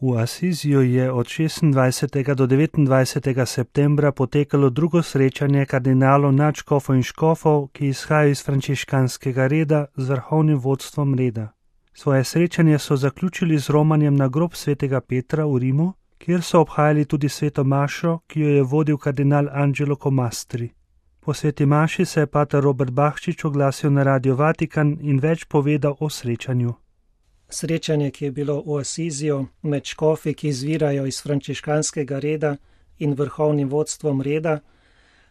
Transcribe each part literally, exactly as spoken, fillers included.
V Asiziju je od šestindvajsetega do devetindvajsetega septembra potekalo drugo srečanje kardinalov, nadškofov in škofov, ki izhajajo iz frančiškanskega reda z vrhovnim vodstvom reda. Svoje srečanje so zaključili z romanjem na grob svetega Petra v Rimu, kjer so obhajali tudi sveto mašo, ki jo je vodil kardinal Angelo Comastri. Po sveti maši se je pater Robert Bahčič oglasil na Radio Vatikan in več povedal o srečanju. Srečanje, ki je bilo v Asiziju med škofi, ki izvirajo iz frančiškanskega reda in vrhovnim vodstvom reda,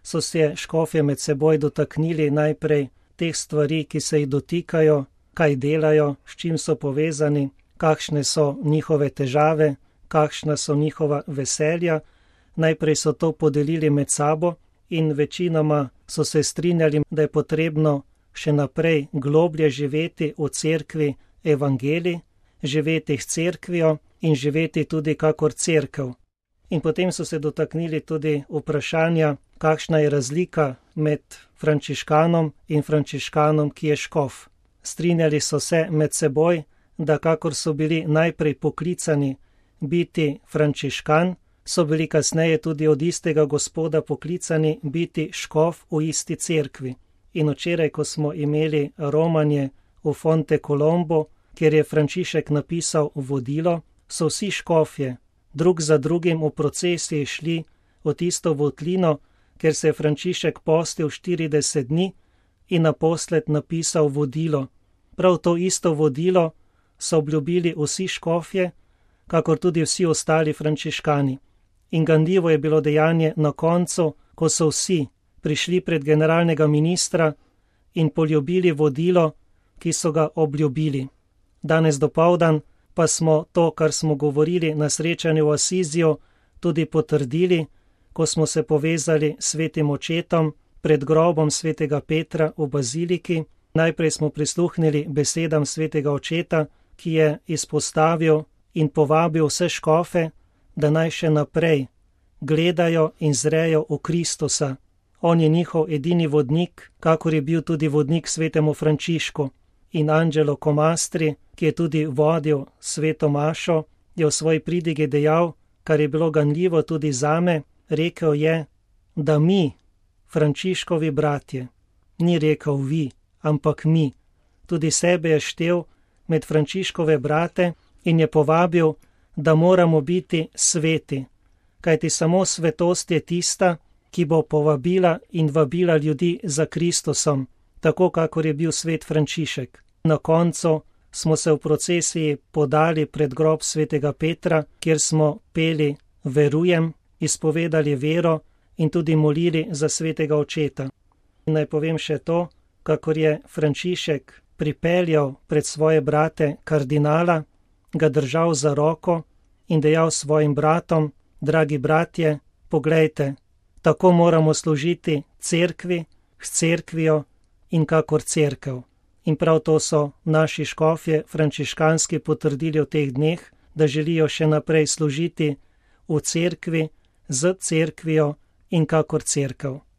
so se škofje med seboj dotaknili najprej teh stvari, ki se jih dotikajo, kaj delajo, s čim so povezani, kakšne so njihove težave, kakšna so njihova veselja. Najprej so to podelili med sabo in večinoma so se strinjali, da je potrebno še naprej globlje živeti v cerkvi evangelij, živeti s cerkvijo in živeti tudi kakor cerkev. In potem so se dotaknili tudi vprašanja, kakšna je razlika med frančiškanom in frančiškanom, ki je škof. Strinjali so se med seboj, da kakor so bili najprej poklicani biti frančiškan, so bili kasneje tudi od istega Gospoda poklicani biti škof v isti cerkvi. In včeraj, ko smo imeli romanje v Fonte Colombo, kjer je Frančišek napisal vodilo, so vsi škofje drug za drugim v procesiji šli v tisto votlino, ker se je Frančišek postil štirideset dni in naposled napisal vodilo. Prav to isto vodilo so obljubili vsi škofje, kakor tudi vsi ostali frančiškani. In ganljivo je bilo dejanje na koncu, ko so vsi prišli pred generalnega ministra in poljubili vodilo, ki so ga obljubili. Danes dopoldan pa smo to, kar smo govorili na srečanju v Asiziju, tudi potrdili, ko smo se povezali s svetim očetom pred grobom svetega Petra v baziliki. Najprej smo prisluhnili besedam svetega očeta, ki je izpostavil in povabil vse škofe, da naj še naprej gledajo in zrejo v Kristusa. On je njihov edini vodnik, kakor je bil tudi vodnik svetemu Frančišku. In Angelo Comastri, ki je tudi vodil sveto mašo, je v svoji pridigi dejal, kar je bilo ganljivo tudi zame, rekel je, da mi, Frančiškovi bratje, ni rekel vi, ampak mi, tudi sebe je štel med Frančiškove brate in je povabil, da moramo biti sveti, kajti samo svetost je tista, ki bo povabila in vabila ljudi za Kristusom, tako kakor je bil svet Frančišek. Na koncu smo se v procesiji podali pred grob svetega Petra, kjer smo peli Verujem, izpovedali vero in tudi molili za svetega očeta. In naj povem še to, kakor je Frančišek pripeljal pred svoje brate kardinala, ga držal za roko in dejal svojim bratom, dragi bratje, poglejte, tako moramo služiti cerkvi, s cerkvijo in kakor cerkev. In prav to so naši škofje frančiškanski potrdili v teh dneh, da želijo še naprej služiti v cerkvi, z cerkvijo in kakor cerkev.